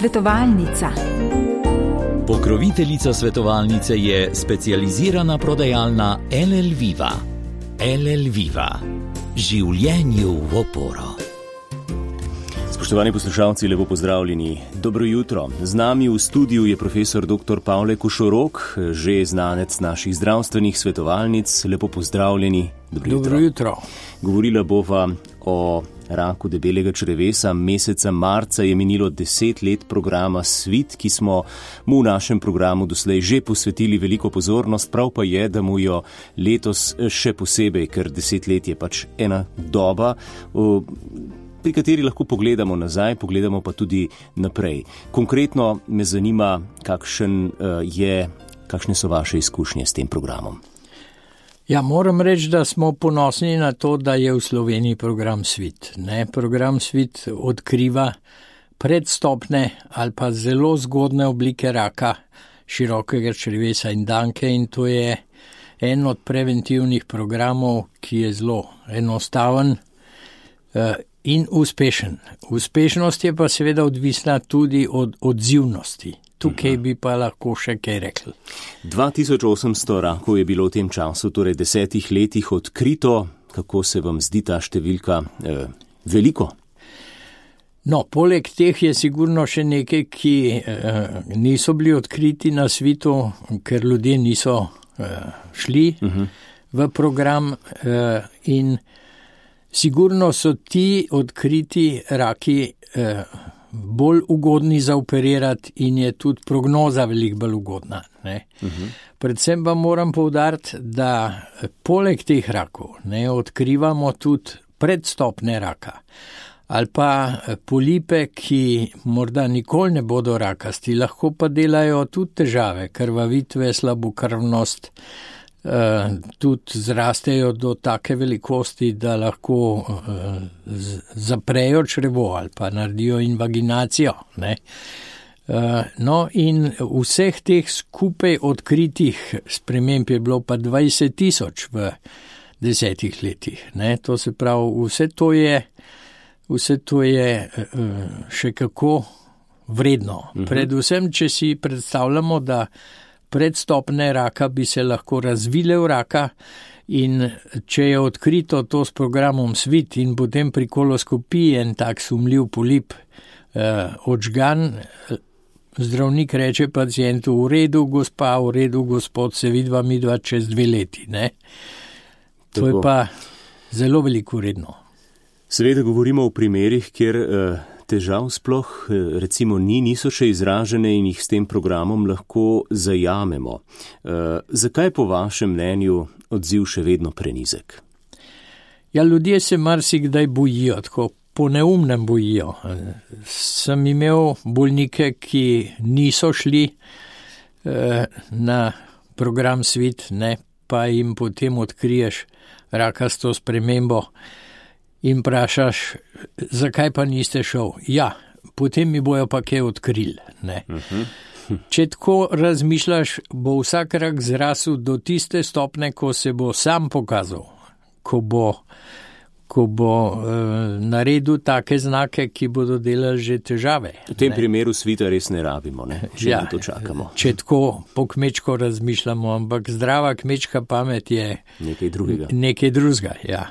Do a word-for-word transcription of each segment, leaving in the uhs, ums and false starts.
Svetovalnica. Pokroviteljica svetovalnice je specializirana prodajalna L L Viva. L L Viva. Življenju v oporo. Spoštovani poslušalci, lepo pozdravljeni. Dobro jutro. Z nami v studiu je profesor doktor Pavle Košorok, že znanec naših zdravstvenih svetovalnic. Lepo pozdravljeni. Dobro jutro. Dobro jutro. Govorila bova o raku debelega črevesa. Meseca marca je minilo deset let programa Svit, ki smo mu v našem programu doslej že posvetili veliko pozornost. Prav pa je, da mu jo letos še posebej, ker deset let je pač ena doba, pri kateri lahko pogledamo nazaj, pogledamo pa tudi naprej. Konkretno me zanima, kakšen je, kakšne so vaše izkušnje s tem programom. Ja, moram reči, da smo ponosni na to, da je v Sloveniji program Svit. Ne? Program Svit odkriva predstopne ali pa zelo zgodne oblike raka širokega črevesa in danke, in to je en od preventivnih programov, ki je zelo enostaven uh, in uspešen. Uspešnost je pa seveda odvisna tudi od odzivnosti. Tukaj bi pa lahko še kaj rekli. dva tisoč osemsto rakov je bilo v tem času, torej desetih letih, odkrito. Kako se vam zdi ta številka eh, veliko? No, poleg teh je sigurno še nekaj, ki eh, niso bili odkriti na svetu, ker ljudje niso eh, šli uh-huh. v program eh, in sigurno so ti odkriti raki eh, bolj ugodni za operirati in je tudi prognoza veliko bolj ugodna. Ne? Uh-huh. Predvsem pa moram poudariti, da poleg teh rakov ne, odkrivamo tudi predstopne raka ali pa polipe, ki morda nikoli ne bodo rakasti, lahko pa delajo tudi težave, krvavitve, slabokrvnost, Uh, tudi zrastejo do take velikosti, da lahko uh, z- zaprejo črevo ali pa naredijo invaginacijo. Ne? Uh, no in vseh teh skupaj odkritih sprememb je bilo pa dvajset tisoč v desetih letih. Ne? To se pravi, vse to je, vse to je uh, še kako vredno. Uh-huh. Predvsem, če si predstavljamo, da predstopne raka bi se lahko razvile v raka in če je odkrito to s programom Svit in potem pri koloskopiji en tak sumljiv polip eh, odžgan, zdravnik reče pacientu, v redu gospa, v redu gospod, se vidva midva čez dve leti. Ne? To je pa zelo veliko vredno. Seveda govorimo o primerih, kjer uh... težav sploh recimo ni, niso še izražene in jih s tem programom lahko zajamemo. E, zakaj po vašem mnenju odziv še vedno prenizek? Ja, ljudje se marsikdaj bojijo, tako po neumnem bojijo. Sem imel bolnike, ki niso šli e, na program Svit, ne, pa jim potem odkriješ rakasto spremembo in vprašaš, zakaj pa niste šel? Ja, potem mi bojo pa kaj odkrili. Ne? Uh-huh. Če tako razmišljaš, bo vsak rak zrasel do tiste stopne, ko se bo sam pokazal, ko bo, ko bo uh, naredil take znake, ki bodo delali že težave. V tem ne? primeru svita res ne rabimo, ne? Če ja, na to čakamo. Če tako po kmečko razmišljamo, ampak zdrava kmečka pamet je nekaj drugega. Nekaj drugega, ja.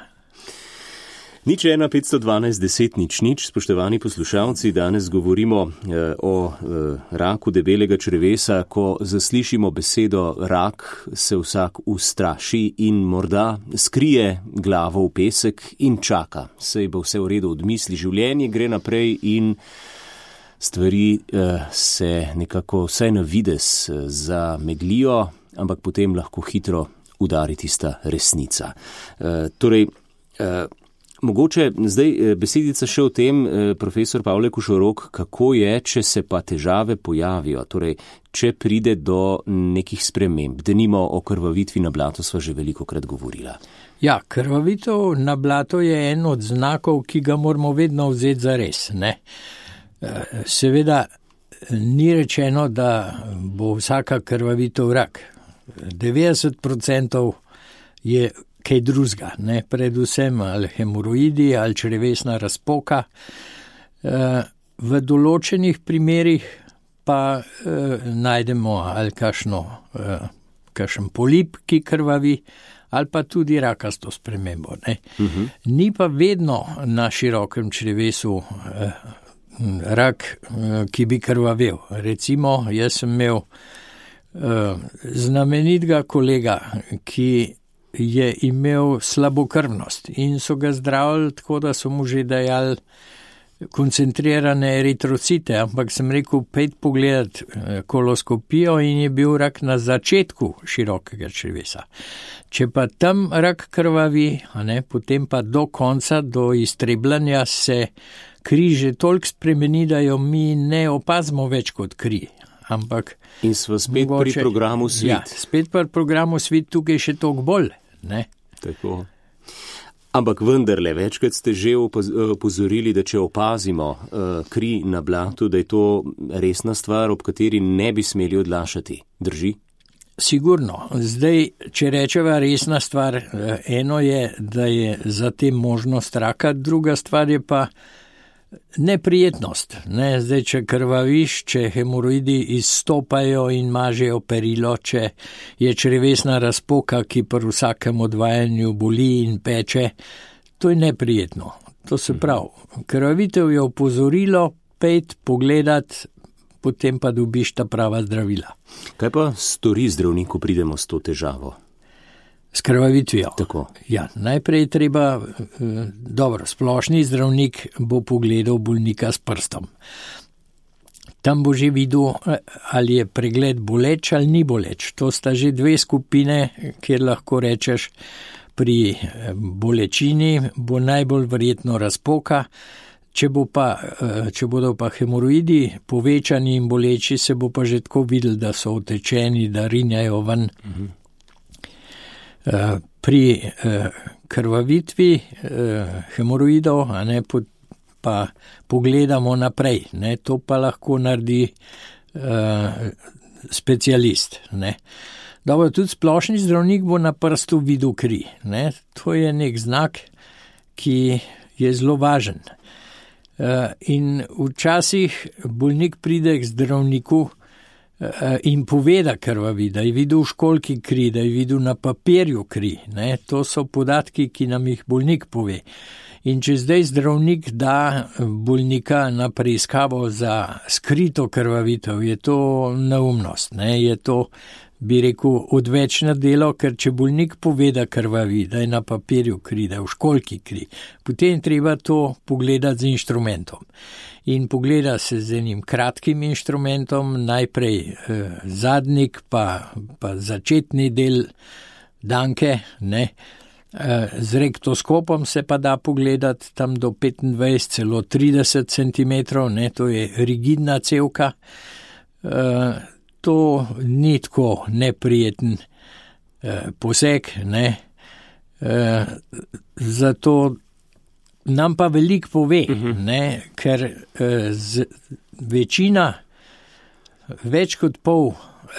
Nič ena petsto dvanajst deset nič nič, spoštovani poslušalci, danes govorimo eh, o eh, raku debelega črevesa. Ko zaslišimo besedo rak, se vsak ustraši in morda skrije glavo v pesek in čaka. Sej bo vse v redu, odmisli, življenje gre naprej in stvari eh, se nekako vsaj na vides eh, zameglijo, ampak potem lahko hitro udari tista resnica. Eh, torej, eh, Mogoče zdaj besedica še o tem, profesor Pavle Košorok, kako je, če se pa težave pojavijo, torej, če pride do nekih sprememb, denimo o krvavitvi na blatu sva že veliko krat govorila. Ja, krvavitev na blato je en od znakov, ki ga moramo vedno vzeti za res. Ne? Seveda ni rečeno, da bo vsaka krvavitev rak. devetdeset procentov je kaj drugega, ne, predvsem ali hemoroidi ali črevesna razpoka. E, v določenih primerih pa eh, najdemo ali kakšno, eh, kakšen polip, ki krvavi, ali pa tudi rakasto spremembo. Ne? Uh-huh. Ni pa vedno na širokem črevesu eh, rak, eh, ki bi krvavel. Recimo, jaz sem imel eh, znamenitega kolega, ki je imel slabokrvnost in so ga zdravili tako, da so mu že dajali koncentrirane eritrocite, ampak sem rekel, pejt pogledat koloskopijo in je bil rak na začetku širokega črevesa. Če pa tam rak krvavi, a ne, potem pa do konca, do iztrebljanja se kri že toliko spremeni, da jo mi ne opazimo več kot kri. Ampak in smo spet mogoče, pri programu Svit. Ja, spet pri programu Svit, tukaj še toliko bolj. Ne? Tako. Ampak vendarle, večkrat ste že opozorili, da če opazimo uh, kri na blatu, da je to resna stvar, ob kateri ne bi smeli odlašati. Drži? Sigurno. Zdaj, če rečeva resna stvar, eno je, da je za tem možnost raka, druga stvar je pa neprijetnost. Ne? Zdaj, če krvaviš, če hemoroidi izstopajo in mažejo perilo, če je črevesna razpoka, ki pri vsakem odvajanju boli in peče, to je neprijetno. To se pravi, krvavitev je opozorilo, pejt, pogledat, potem pa dobiš ta prava zdravila. Kaj pa stori zdravnik, ko pridemo s to težavo? S krvavitvijo. Tako. Ja, najprej treba, dobro, splošni zdravnik bo pogledal bolnika s prstom. Tam bo že videl, ali je pregled boleč ali ni boleč. To sta že dve skupine, kjer lahko rečeš, pri bolečini bo najbolj verjetno razpoka. Če, bo pa, če bodo pa hemoroidi povečani in boleči, se bo pa že tako videl, da so otečeni, da rinjajo ven. Mhm. Pri krvavitvi hemoroidov, a ne, pa pogledamo naprej, ne, to pa lahko naredi specialist. Ne. Dobro, tudi splošni zdravnik bo na prstu videl kri. Ne. To je nek znak, ki je zelo važen. In včasih bolnik pride k zdravniku in pove, da krvavi, da je videl v školjki kri, da je videl na papirju kri. Ne? To so podatki, ki nam jih bolnik pove. In če zdaj zdravnik da bolnika na preiskavo za skrito krvavitev, je to neumnost. Ne? Je to, bi rekel, odvečno delo, ker če bolnik pove, da krvavi, da je na papirju kri, da je v školjki kri, potem treba to pogledati z inštrumentom. In pogleda se z enim kratkim inštrumentom, najprej eh, zadnik, pa, pa začetni del danke, ne. Eh, z rektoskopom se pa da pogledati tam do petindvajset, celo trideset centimetrov, ne, to je rigidna cevka. Eh, to ni tako neprijeten eh, poseg, ne. Eh, zato nam pa veliko pove, uh-huh. ne, ker eh, z, večina, več kot pol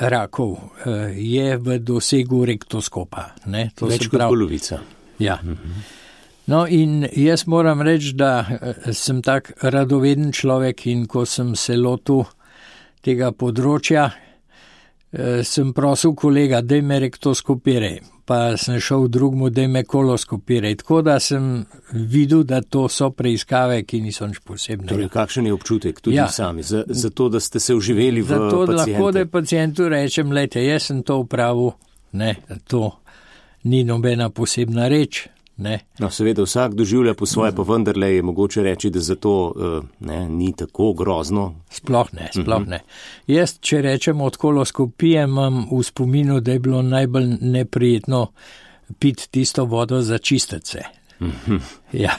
rakov eh, je v dosegu rektoskopa. Ne, to več kot polovica. Ja. Uh-huh. No in jaz moram reči, da eh, sem tak radoveden človek in ko sem se lotil tega področja, eh, sem prosil kolega, daj me rektoskopiraj. Pa sem šel drugmu, da me koloskopiraj. Tako da sem videl, da to so preiskave, ki niso nič posebne. Torej, kakšen je občutek tudi ja. sami, za, za to, da ste se vživeli v pacijente? Zato, da lahko, da pacientu rečem, lejte, jaz sem to upravil, ne, to ni nobena posebna reč. Ne. No, seveda vsak doživlja po svoje, pa vendarle je mogoče reči, da zato ne, ni tako grozno. Sploh ne, sploh ne. Uh-huh. Jaz, če rečem od koloskopije, imam v spominu, da je bilo najbolj neprijetno piti tisto vodo za čistece. Uh-huh. Ja.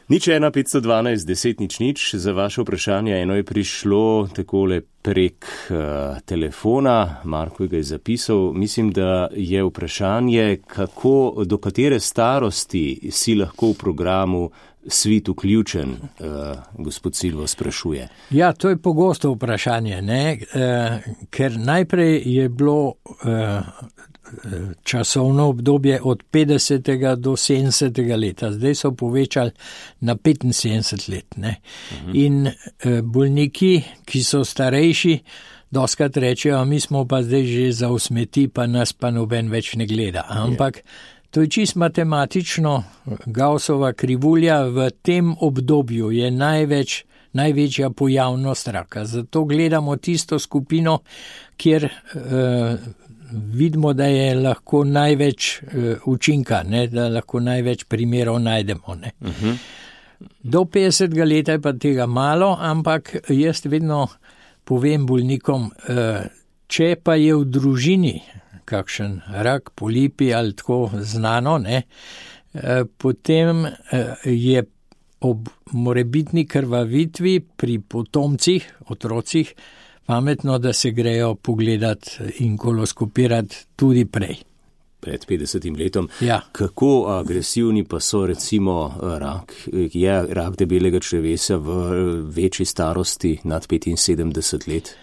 Nič ena petsto dvanajst deset nič nič, za vaše vprašanje eno je prišlo takole prek uh, telefona, Marko ga je zapisal, mislim, da je vprašanje, kako, do katere starosti si lahko v programu Svit vključen, uh, gospod Silvo sprašuje. Ja, to je pogosto vprašanje, ne? Uh, ker najprej je bilo uh, časovno obdobje od petdesetega do sedemdesetega leta. Zdaj so povečali na petinsedemdeset let. Ne. Mhm. In bolniki, ki so starejši, doskrat rečejo, mi smo pa zdaj že za usmeti, pa nas pa noben več ne gleda. Ampak to je čist matematično, Gaussova krivulja v tem obdobju je največ, največja pojavnost raka. Zato gledamo tisto skupino, kjer eh, vidimo, da je lahko največ eh, učinka, ne, da lahko največ primerov najdemo. Ne. Uh-huh. Do petdesetega leta je pa tega malo, ampak jaz vedno povem bolnikom, eh, če pa je v družini kakšen rak, polipi ali tako znano, ne, eh, potem eh, je ob morebitni krvavitvi pri potomcih, otrocih, pametno, da se grejo pogledati in koloskopirati tudi prej. Pred petdesetim letom. Ja. Kako agresivni pa so recimo rak? Je rak debelega črevesa v večji starosti nad petinsedemdeset let?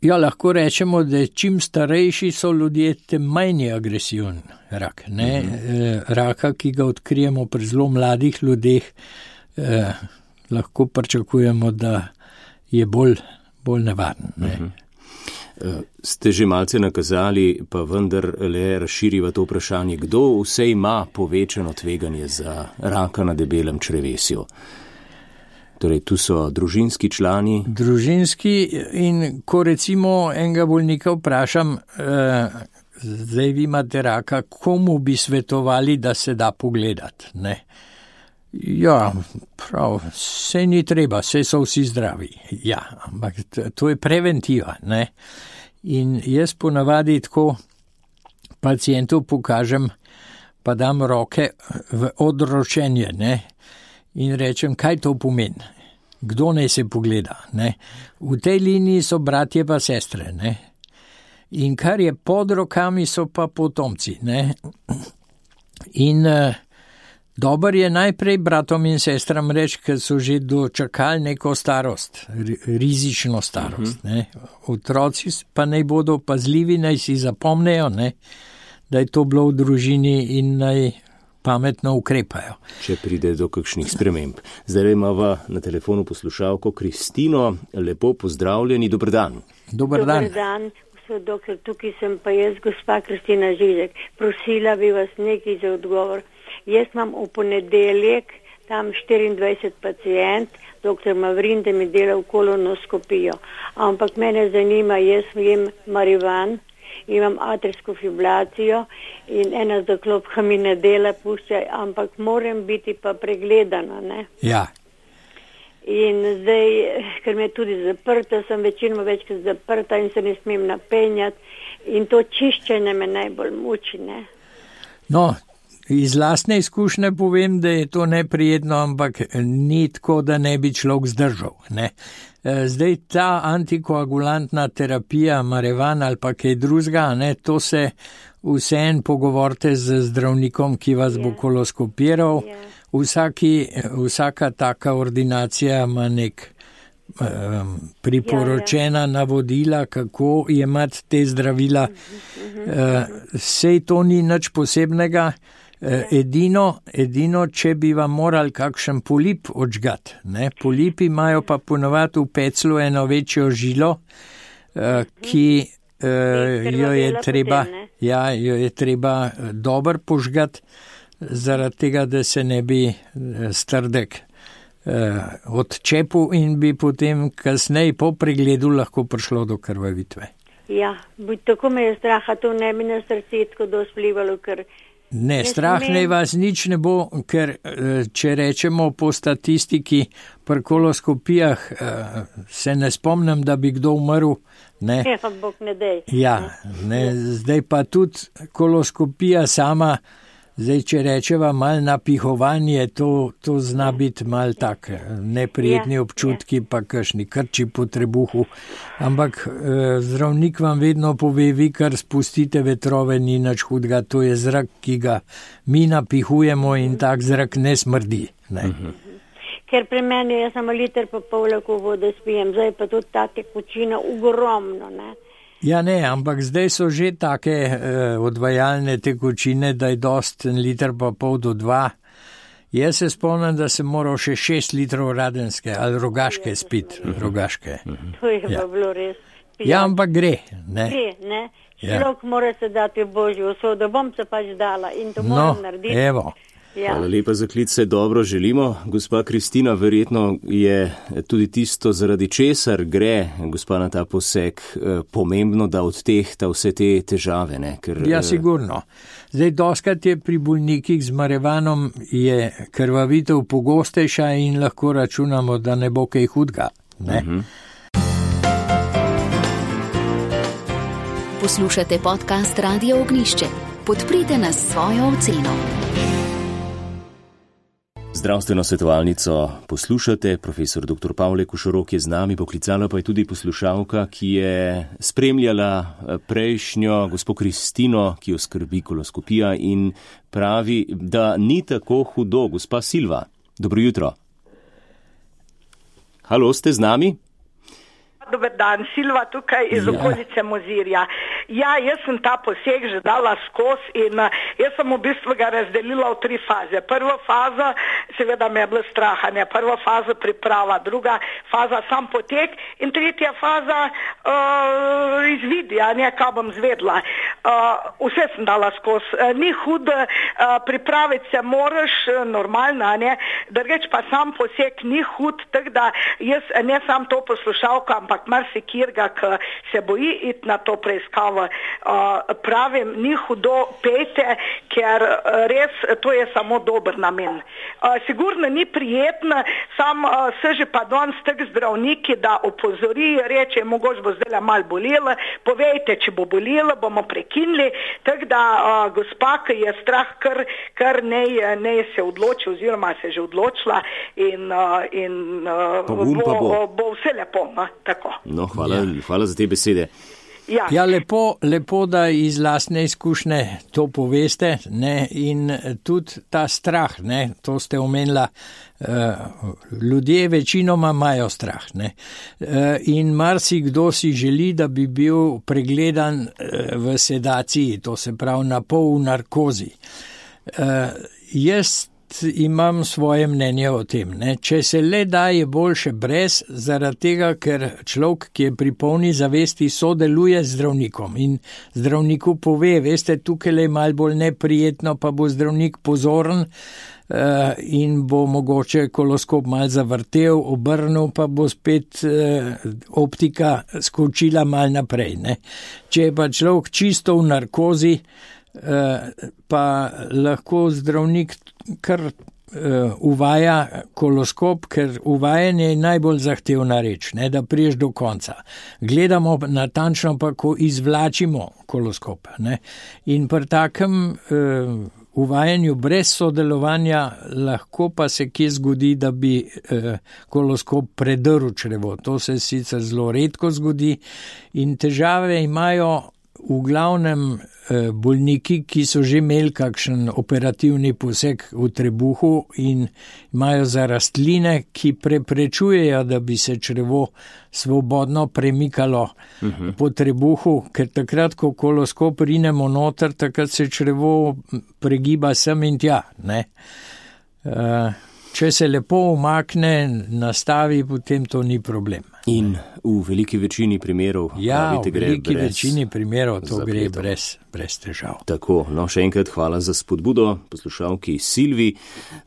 Ja, lahko rečemo, da čim starejši so ljudje, tem manj je agresiven rak. Ne? Mm-hmm. Raka, ki ga odkrijemo pri zelo mladih ljudeh, eh, lahko pričakujemo, da je bolj, bolj nevaren. Ne? Mm-hmm. Ste že malce nakazali, pa vendar le razširiva to vprašanje, kdo vse ima povečano tveganje za raka na debelem črevesju? Torej, tu so družinski člani. Družinski in ko recimo enega bolnika vprašam, eh, zdaj vi imate raka, komu bi svetovali, da se da pogledati? Ne? Ja, prav, sej ni treba, sej so vsi zdravi. Ja, ampak to je preventiva. Ne? In jaz ponavadi tako pacientu pokažem, pa dam roke v odročenje, ne? In rečem, kaj to pomeni, kdo naj se pogleda. Ne? V tej liniji so bratje pa sestre. Ne? In kar je pod rokami, so pa potomci. Ne? In uh, dober je najprej bratom in sestram reči, ker so že dočakali neko starost, rizično starost. Ne? Otroci pa naj bodo pazljivi, naj si zapomnejo, ne? Da je to bilo v družini in naj pametno ukrepajo. Če pride do kakšnih sprememb. Zdaj imamo na telefonu poslušalko Kristino. Lepo pozdravljeni, dober dan. Dober dan. Dober dan, gospod doktor, tukaj sem pa jaz, gospa Kristina Žižek. Prosila bi vas nekaj za odgovor. Jaz imam v ponedeljek tam štiriindvajset pacijent, doktor Mavrin, da mi dela v kolonoskopijo. Ampak mene zanima, jaz jem marivan, imam atrijsko fibrilacijo in ena zaklopka mi ne dela, pušča, ampak moram biti pa pregledana, ne? Ja. In zdaj, ker me tudi zaprta, sem večinoma večkrat zaprta in se ne smem napenjati in to čiščenje me najbolj muči, ne? No, iz lastne izkušnje povem, da je to neprijetno, ampak ni tako, da ne bi človek zdržal, ne? Zdaj ta antikoagulantna terapija, marevan ali pa kaj drugega, ne, to se vseeno pogovorite z zdravnikom, ki vas yeah. bo koloskopiral. Yeah. Vsaki, vsaka taka ordinacija ima nek um, priporočena yeah, yeah. navodila, kako jemati te zdravila. Mm-hmm. Uh, sej to ni nič posebnega. Edino, edino, če bi vam morali kakšen polip odžgati. Ne? Polipi imajo pa ponovati v peclu eno večjo žilo, ki jo je treba, ja, jo je treba dobro požgati, zaradi tega, da se ne bi strdek odčepil in bi potem kasneje po pregledu lahko prišlo do krvavitve. Ja, tako me je straha, to ne bi na srce tako dosti vplivalo, ker Ne, strah ne vas nič ne bo, ker če rečemo po statistiki pri koloskopijah, se ne spomnim, da bi kdo umrl. Ne. Ja, bog ne dej. Ja, ne, zdaj pa tudi koloskopija sama, zdaj če rečeva mal napihovanje, to, to zna biti mal tak neprijetni občutki, pa kakšni krči po trebuhu. Ampak eh, zdravnik vam vedno pove, vi kar spustite vetrove, ni nič hudega, to je zrak, ki ga mi napihujemo in tak zrak ne smrdi. Ne? Mhm. Ker pri meni je samo liter pa pol lahko vode spijem, zdaj pa tudi ta tekočina ogromno, ne. Ja, ne, ampak zdaj so že take eh, odvajalne tekočine, da je dost en liter pa pol do dva. Jaz se spomnim, da sem moral še šest litrov radenske ali rogaške spit, rogaške. To je Ja. pa bilo res. Ja, ampak gre, ne. Gre, ne? Ja. Človek mora se dati v Božjo usodo, bom se pač dala in to No, moram narediti. evo. Ja. Hvala lepa za klic, se dobro želimo. Gospa Kristina, verjetno je tudi tisto, zaradi česar gre gospa na ta poseg, eh, pomembno, da odtehta vse te težave. Ne? Ker, Ja, eh, sigurno. Zdaj, doskrat je pri bolnikih z marevanom je krvavitev pogostejša in lahko računamo, da ne bo kaj hudga. Ne? Mhm. Poslušate podcast Radio Ognišče. Podprite nas s svojo oceno. Zdravstveno svetovalnico poslušate, profesor doktor Pavle Košorok je z nami, poklicala pa je tudi poslušalka, ki je spremljala prejšnjo gospo Kristino, ki jo skrbi koloskopija in pravi, da ni tako hudo. Gospa Silva, dobro jutro. Halo, ste z nami? Dober dan, Silva tukaj iz Ja. okolice Mozirja. Ja, jaz sem ta poseg že dala skozi in uh, jaz sem v bistvu ga razdelila v tri faze. Prva faza, seveda me je bilo strahanje, prva faza priprava, druga faza sam potek in tretja faza uh, izvidi, a ne, kaj bom zvedla. Uh, vse sem dala skozi. Uh, ni hud, uh, pripraviti se moraš, uh, normalno, a ne, drugače pa sam poseg ni hud, tako da jaz ne sam to poslušalka, ampak marsikirga, ki se boji iti na to preiskavo, uh, pravim, ni hudo, pejte, ker uh, res to je samo dober namen. Uh, sigurno ni prijetno, sam uh, se že pa danes tak zdravniki, da opozori, reče, mogoče bo zdaj malo bolelo, povejte, če bo bolelo, bomo prekinili, tako da uh, gospa, ki je strah, kar, kar ne, ne se odloči oziroma se že odločila in, uh, in uh, Pogum pa bo. bo, bo vse lepo, no, tako. No, hvala, ja. hvala za te besede. Ja. Ja, lepo, lepo, da iz lastne izkušnje to poveste, ne, in tudi ta strah, ne, to ste omenila, uh, ljudje večinoma imajo strah, ne, uh, in marsikdo si želi, da bi bil pregledan uh, v sedaciji, to se pravi na pol v narkozi. Uh, jaz imam svoje mnenje o tem. Ne. Če se le da, je boljše brez, zaradi tega, ker človek, ki je pri polni zavesti, sodeluje z zdravnikom in zdravniku pove, veste, tukaj je malo bolj neprijetno, pa bo zdravnik pozoren uh, in bo mogoče koloskop malo zavrtel, obrnil, pa bo spet uh, optika skočila malo naprej. Ne. Če je pa človek čisto v narkozi, uh, pa lahko zdravnik kar uh, uvaja koloskop, ker uvajanje je najbolj zahtevna reč, ne, da priješ do konca. Gledamo natančno pa, ko izvlačimo koloskop. Ne. In pri takem uh, uvajanju brez sodelovanja lahko pa se kje zgodi, da bi uh, koloskop predrl črevo. To se sicer zelo redko zgodi in težave imajo v glavnem bolniki, ki so že imeli kakšen operativni poseg v trebuhu in imajo za rastline, ki preprečujejo, da bi se črevo svobodno premikalo uh-huh. po trebuhu, ker takrat, ko koloskop rinemo noter, takrat se črevo pregiba sem in tja. Ne? Uh, če se lepo umakne, nastavi, potem to ni problem. In v veliki večini primerov, ja, pravite, gre v veliki brez večini primerov to zapletov. gre brez, brez težav. Tako, no, še enkrat hvala za spodbudo poslušalki Silvi.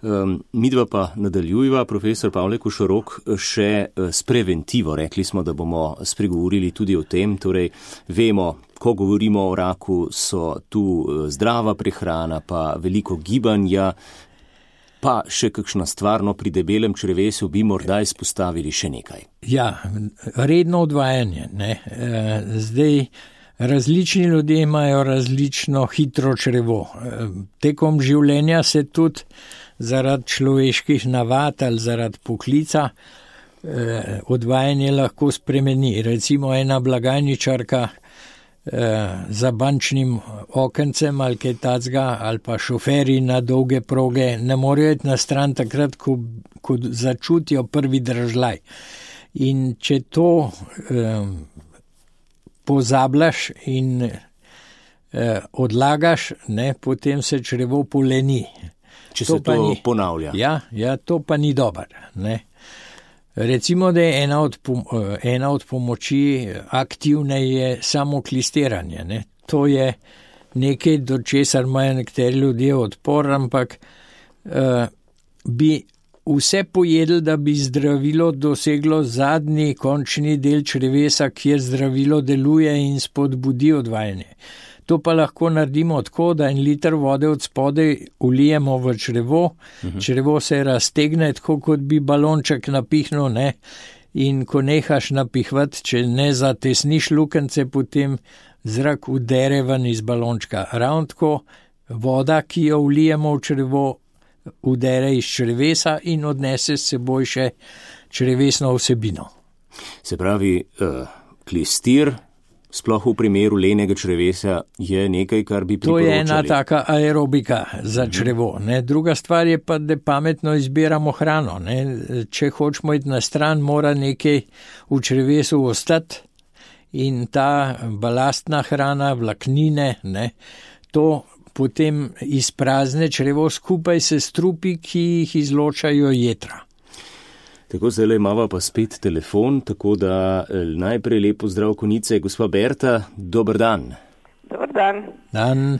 Um, midva pa nadaljujeva, profesor Pavle Košorok, še s preventivo. Rekli smo, da bomo spregovorili tudi o tem, torej vemo, ko govorimo o raku, so tu zdrava prehrana, pa veliko gibanja, pa še kakšna stvarno pri debelem črevesu bi morda izpostavili še nekaj. Ja, redno odvajanje. Ne. Zdaj, različni ljudje imajo različno hitro črevo. Tekom življenja se tudi zaradi človeških navad ali zaradi poklica odvajanje lahko spremeni. Recimo ena blagajničarka za bančnim okencem ali kaj tacga, ali pa šoferi na dolge proge ne morejo iti na stran takrat, ko, ko začutijo prvi držlaj. In če to eh, pozabljaš in uh, odlagaš, ne, potem se črevo poleni. Če to se to ni, ponavlja. Ja, ja, to pa ni dober. Ne. Recimo, da je ena od, pom ena od pomoči aktivne je samo klistiranje. Ne. To je nekaj, do česar imajo nekateri ljudje odpor, ampak uh, bi vse pojedli, da bi zdravilo doseglo zadnji končni del črevesa, kjer zdravilo deluje in spodbudi odvajanje. To pa lahko naredimo tako, da en liter vode od spodaj ulijemo v črevo, uh-huh. črevo se raztegne, tako kot bi balonček napihnil, ne? In ko nehaš napihvati, če ne zatesniš lukence, potem zrak udere ven iz balončka. Ravno tako voda, ki jo ulijemo v črevo, udere iz črevesa in odnese s seboj še črevesno vsebino. Se pravi, uh, klistir, sploh v primeru lenega črevesa, je nekaj, kar bi priporočali. To je ena taka aerobika za črevo. Ne. Druga stvar je pa, da pametno izbiramo hrano. Ne. Če hočemo iti na stran, mora nekaj v črevesu ostati in ta balastna hrana, vlaknine, ne, to potem izprazne črevo skupaj se strupi, ki jih izločajo jetra. Tako, zdaj imamo pa spet telefon, tako da najprej lepo zdrav konice. Gospa Berta, dober dan. Dobar dan. Dan.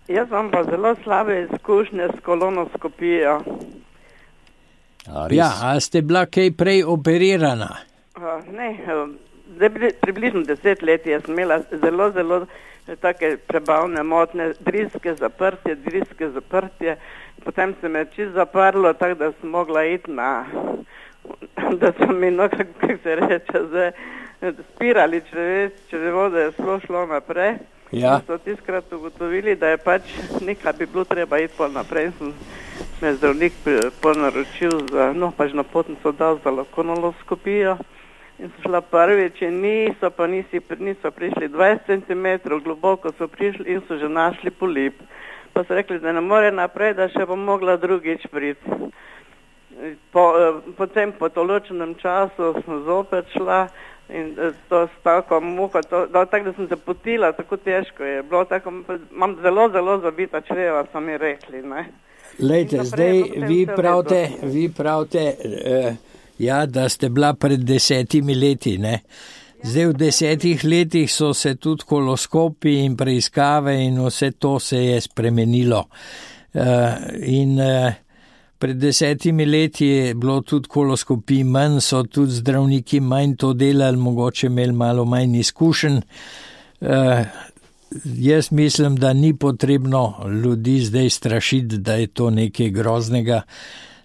Jaz imam pa zelo slabe izkušnje s kolonoskopijo. A, ja, a ste bila kaj prej operirana? Uh, ne, uh, približno deset let jaz imela zelo, zelo take prebavne motne, driske zaprtje, driske zaprtje. Potem se me čisto zaprlo, tako da sem mogla iti na... da so mi, no, kako se reče, zdaj, spirali čreves, črevo, da je sploh šlo naprej. Ja. So tiskrat ugotovili, da je pač nekaj bi bilo treba iti pol naprej. Sem me zdravnik pol naročil za, no, pač na potnico dal za kolonoskopijo in so šla prvič in niso, pa nisi, niso prišli dvajset centimetrov, globoko so prišli in so že našli polip. Pa so rekli, da ne more naprej, da še bom mogla drugič priti. Po, potem po določenem času sem zopet šla in to s tako muho, to, da, tako da sem se potila, tako težko je bilo, tako, imam zelo, zelo zabita čreva, so mi rekli, ne. Lejte, zdaj vi pravite, vi pravite, uh, ja, da ste bila pred desetimi leti, ne. Zdaj v desetih letih so se tudi koloskopi in preiskave in vse to se je spremenilo. Uh, in uh, Pred desetimi leti je bilo tudi koloskopij manj, so tudi zdravniki manj to delali, mogoče imeli malo manj izkušenj. Uh, jaz mislim, da ni potrebno ljudi zdaj strašiti, da je to nekaj groznega.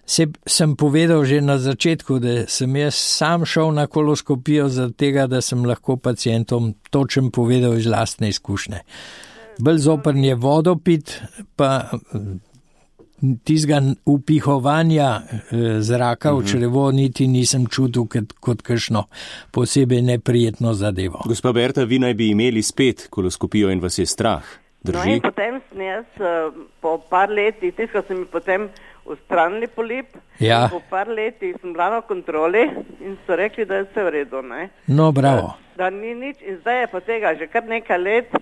Se, sem povedal že na začetku, da sem jaz sam šel na koloskopijo zaradi tega, da sem lahko pacientom točen povedal iz lastne izkušnje. Bolj zoprn je vodo pit, pa tizga upihovanja zraka v črevo niti nisem čutil kot, kot kakšno posebej neprijetno zadevo. Gospa Berta, vi naj bi imeli spet koloskopijo in vas je strah. Drži? No in potem sem jaz po par letih, tiskal sem mi potem ustranili polip, ja. Po par letih sem bila na kontroli in so rekli, da je vse v redu, ne? No, bravo. Da, da ni nič in zdaj je pa tega že kar nekaj let.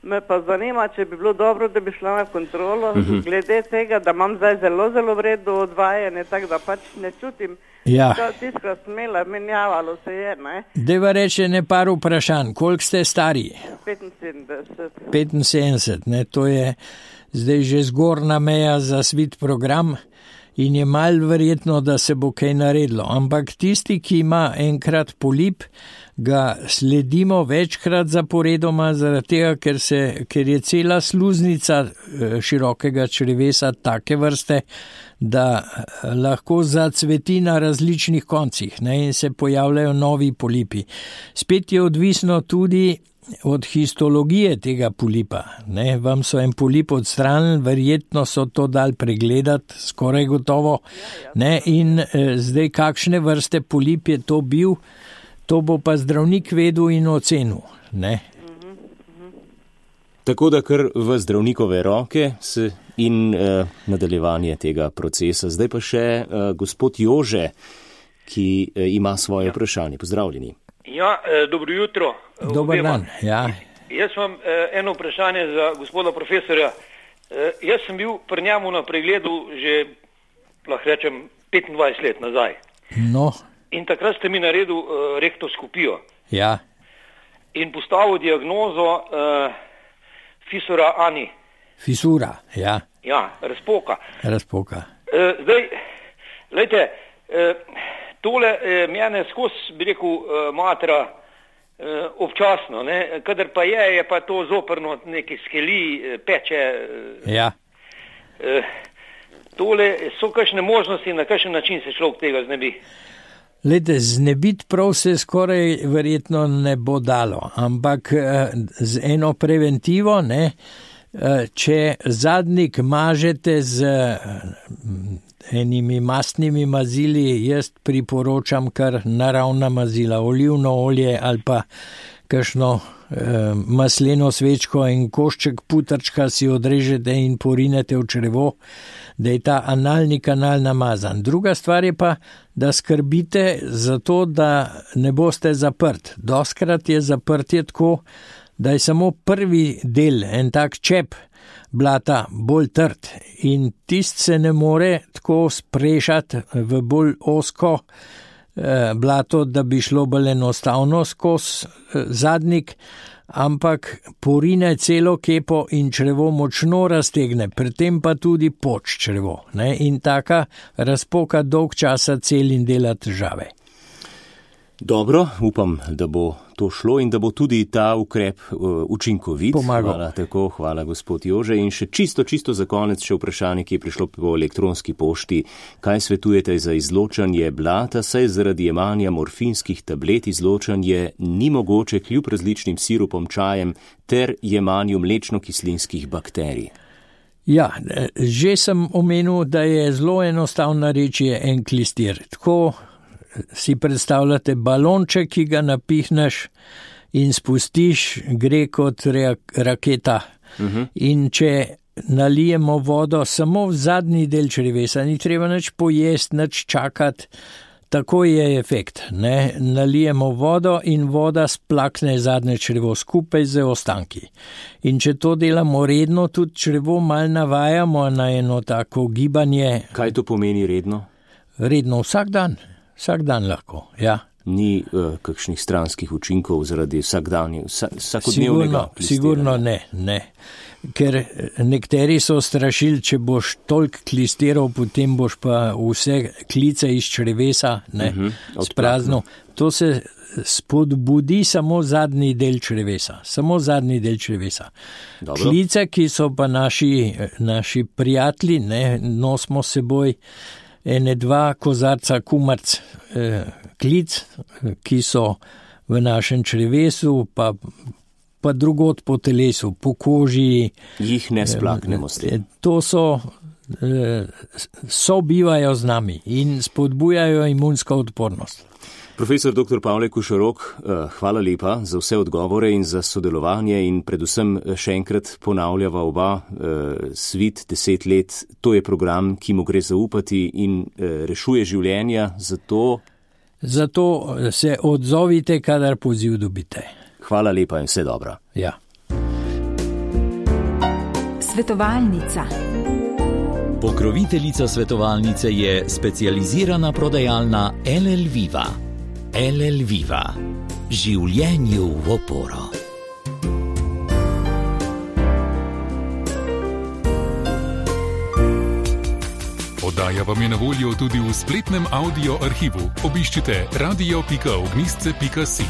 Me pa zanima, če bi bilo dobro, da bi šla na kontrolo, uh-huh. glede tega, da imam zdaj zelo, zelo vredno odvajanje, tako da pač ne čutim, ja. da tiskra smela, menjavalo se je, ne. Deva reče ne par vprašanj, koliko ste stari? petinsedemdeset. petinsedemdeset, ne, to je zdaj že zgornja meja za svit program in je malo verjetno, da se bo kaj naredilo, ampak tisti, ki ima enkrat polip, ga sledimo večkrat zaporedoma, zaradi tega, ker, se, ker je cela sluznica širokega črevesa take vrste, da lahko zacveti na različnih koncih, ne, in se pojavljajo novi polipi. Spet je odvisno tudi od histologije tega polipa. Ne, vam so en polip odstranili, verjetno so to dali pregledati, skoraj gotovo. Ne, in eh, zdaj kakšne vrste polip je to bil, to bo pa zdravnik vedel in ocenil. Ne. Tako da kar v zdravnikove roke se in uh, nadaljevanje tega procesa. Zdaj pa še uh, gospod Jože, ki uh, ima svoje vprašanje. Pozdravljeni. Ja, eh, dobro jutro. Dobar dan, ja. Jaz imam eh, eno vprašanje za gospoda profesorja. Eh, jaz sem bil pri njemu na pregledu že, lahko rečem, petindvajset let nazaj. No. In takrat ste mi naredil eh, rektoskopijo. Ja. In postavil diagnozo eh, fisura ani. Fisura, ja. Ja, razpoka. Razpoka. Eh, zdaj, lejte, eh, tole eh, mene skozi, bi rekel, eh, matra eh, občasno, ne? Kadar pa je, je pa to zoprno neki skeli, eh, peče. Eh, ja. Eh, tole so kakšne možnosti, na kakšen način se človek tega znebi? Lejte, znebiti prav se skoraj verjetno ne bo dalo, ampak eh, z eno preventivo, ne, eh, če zadnjik mažete z enimi mastnimi mazili, jaz priporočam kar naravna mazila, olivno olje ali pa kakšno eh, masleno svečko in košček putrčka si odrežete in porinete v črevo, da je ta analni kanal namazan. Druga stvar je pa, da skrbite za to, da ne boste zaprt. Doskrat je zaprtje tako, da je samo prvi del, en tak čep blata, bolj trd in tist se ne more tako sprešati v bolj osko eh, blato, da bi šlo bolj enostavno skozi eh, zadnjik, ampak porine celo kepo in črevo močno raztegne, pri tem pa tudi poč črevo, ne? In taka razpoka dolg časa cel in dela težave. Dobro, upam, da bo to šlo in da bo tudi ta ukrep uh, učinkovit. Pomagal. Hvala, tako, hvala gospod Jože. In še čisto, čisto za konec še vprašanje, ki je prišlo po elektronski pošti. Kaj svetujete za izločanje blata, saj zaradi jemanja morfinskih tablet izločanje ni mogoče kljub različnim sirupom, čajem ter jemanju mlečno-kislinskih bakterij? Ja, že sem omenil, da je zelo enostavna reč je enklistir. Tako si predstavljate balonček, ki ga napihneš in spustiš, gre kot raketa. Uh-huh. In če nalijemo vodo samo v zadnji del črevesa, ni treba nič pojesti, nič čakati, tako je efekt. Ne? Nalijemo vodo in voda splakne zadnje črevo skupaj z ostanki. In če to delamo redno, tudi črevo mal navajamo na eno tako gibanje. Kaj to pomeni redno? Redno vsak dan. Vsak dan lahko, ja. Ni uh, kakšnih stranskih učinkov zaradi vsakdanje, vsak, vsakodnevnega Sigurno, sigurno ne, ne. Ker nekateri so strašili, če boš toliko klistiral, potem boš pa vse klice iz črevesa, ne, uh-huh, sprazno. To se spodbudi samo zadnji del črevesa, samo zadnji del črevesa. Dobro. Klice, ki so pa naši, naši prijatelji, ne, nosimo seboj ene dva kozarca kumarc eh, klic, ki so v našem črevesu, pa, pa drugod po telesu, po koži. Jih ne splaknemo s tem. Eh, to so, eh, sobivajo z nami in spodbujajo imunsko odpornost. Profesor doktor Pavle Košorok, hvala lepa za vse odgovore in za sodelovanje in predvsem še enkrat ponavljava oba svit deset let. To je program, ki mu gre zaupati in rešuje življenja, zato... Zato se odzovite, kadar poziv dobite. Hvala lepa in vse dobro. Ja. Svetovalnica. Pokroviteljica svetovalnice je specializirana prodajalna L L Viva. L L Viva. Življenju v oporo. Oddaja vam je na voljo tudi v spletnem audio arhivu. Obiščite radio pika ognjišče pika si.